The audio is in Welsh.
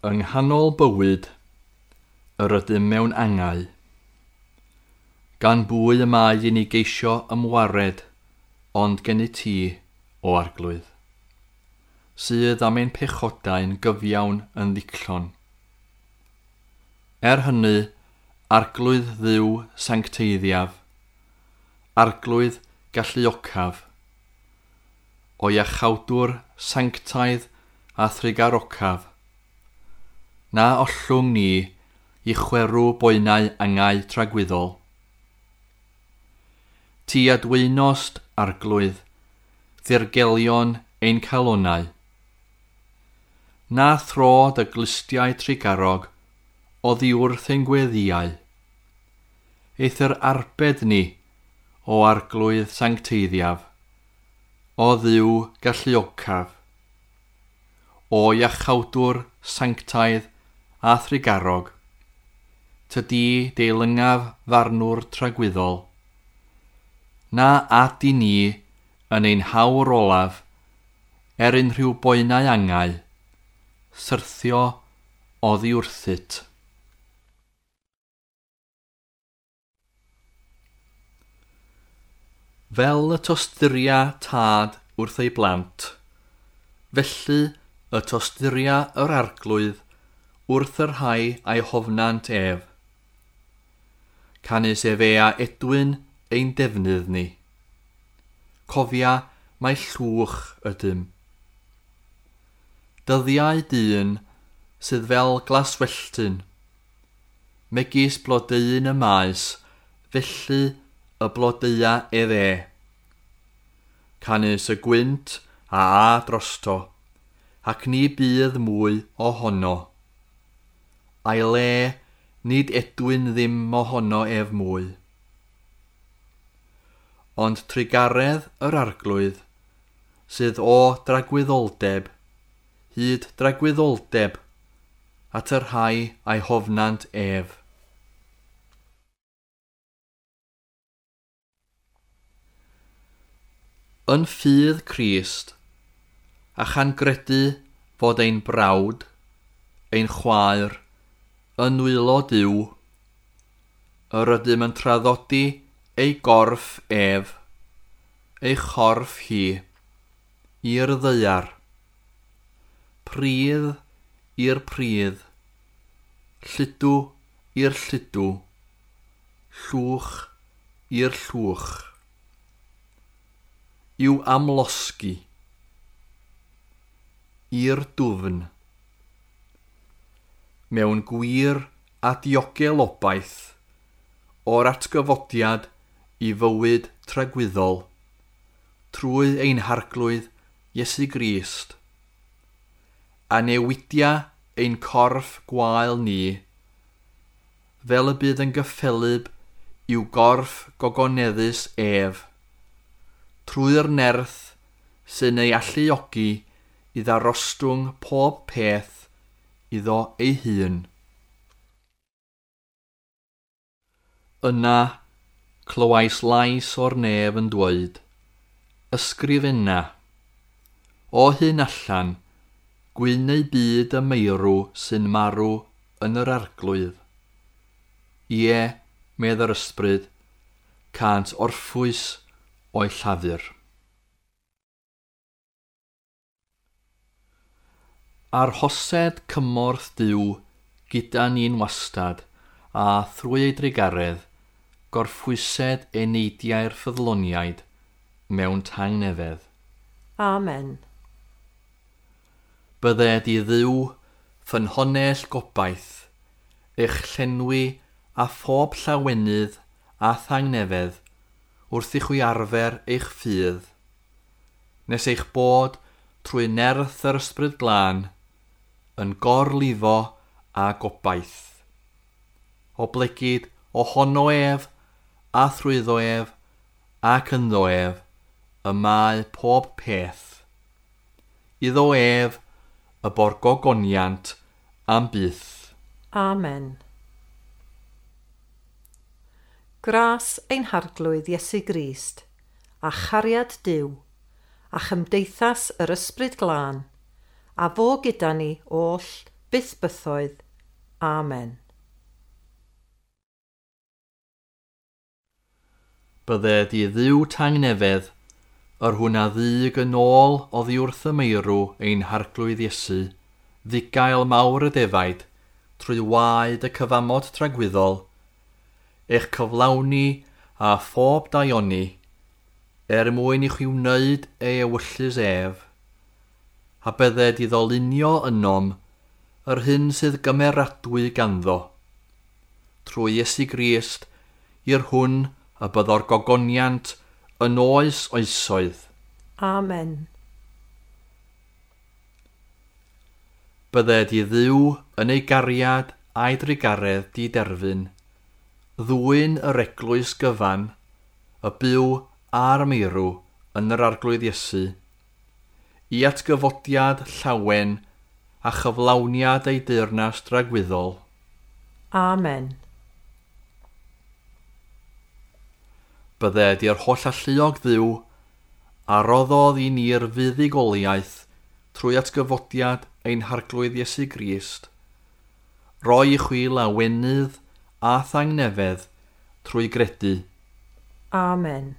Yng nghanol bywyd, yr ydym mewn angau. Gan bwy y mae i ni geisio ymwared, ond gennyt ti, o Arglwydd, sydd am ein pechodau'n gyfiawn yn ddicllon. Er hynny, Arglwydd Dduw sancteiddiaf, Arglwydd galluocaf, o iachawdwr sanctaidd a thrugarocaf, na ollwng ni i chwerw boenau angau tragwyddol. Ti adwynost, Arglwydd, ddirgelion ein calonau. Na thro dy glustiau trugarog oddi wrth ein gweddïau. Eithr arbed ni o Arglwydd sancteiddiaf, o Dduw galluocaf, o iachawdwr sanctaidd a thrugarog, tydi deilyngaf farnwr tragwyddol. Na ad i ni yn ein hawr olaf, er unrhyw boenau angau, syrthio oddi wrthyt. Fel y tosturia tad wrth ei blant, felly y tosturia yr Arglwydd wrth y rhai a'i hofnant ef. Canys efe a edwyn ein defnydd ni. Cofia mai llwch ydym. Dyddiau dyn sydd fel glaswelltyn, megis blodeuyn y maes, felly y blodeua ef e. Canys y gwynt a a drosto, ac ni bydd mwy ohono. A'i le nid edwyn ddim ohono ef mwy. Ond trugaredd yr Arglwydd sydd o dragwyddoldeb, hyd dragwyddoldeb, at y rhai a'i hofnant ef. Yn ffydd Crist, a chan gredu fod ein brawd, ein chwaer, yn nwylo Duw, yr ydym yn traddodi ei gorff ef, ei chorff hi, i'r ddaear. Pridd i'r pridd, lludw i'r lludw, llwch i'r llwch. I'w amlosgi, i'r dwfn. Mewn gwir a diogel obaith o'r atgyfodiad i fywyd tragwyddol, trwy ein Harglwydd Iesu Grist, a newidia ein corff gwael ni, fel y bydd yn gyffelyb i'w gorff gogoneddus ef, trwy'r nerth sy'n ei alluogi i ddarostwng pob peth iddo ei hun. Yna, clywais lais o'r nef yn dweud, ysgrifenna, o hyn allan, gwyn eu byd y meirw sy'n marw yn yr Arglwydd. Ie, medd yr ysbryd, cânt orffwys o'i llafur. Arhosed cymorth Duw gyda ni'n wastad, a thrwy ei drugaredd, gorffwysed eneidiau'r ffyddloniaid mewn tangnefedd. Amen. Bydded i Dduw ffynhonnell gobaith, eich llenwi a phob llawenydd a thangnefedd wrth i chwi arfer eich ffydd, nes eich bod trwy nerth yr Ysbryd Glân yn gorlifo a gobaith. Oblegid ohono ef, a thrwyddo ef, ac ynddo ef, y mae pob peth. Iddo ef y borgogoniant am byth. Amen. Gras ein Harglwydd Iesu Grist, a chariad Duw, a chymdeithas yr Ysbryd Glân, a fo gyda ni oll byth bythoedd. Amen. Bydded i Dduw tangnefedd, yr hwn a ddug yn ôl oddi wrth y meirw ein harglwydd Iesu, ddigael mawr y defaid, trwy waed y cyfamod tragwyddol, eich cyflawni a phob daioni, er mwyn i chi wneud ei ewyllys ef, a bydded iddo lunio ynom yr hyn sydd gymeradwy ganddo, trwy Iesu Grist, i'r hwn y byddo'r gogoniant yn oes oesoedd. Amen. Bydded i Dduw yn ei gariad a'i drugaredd diderfyn, ddwyn yr eglwys gyfan, y byw a'r meirw yn yr Arglwydd Iesu, i atgyfodiad llawen a chyflawniad ei deyrnas dragwyddol. Amen. Bydded i'r holl alluog Dduw a roddodd i ni'r fuddugoliaeth trwy atgyfodiad ein harglwydd Iesu Grist, roi i chwi lawenydd a thangnefedd trwy gredu. Amen.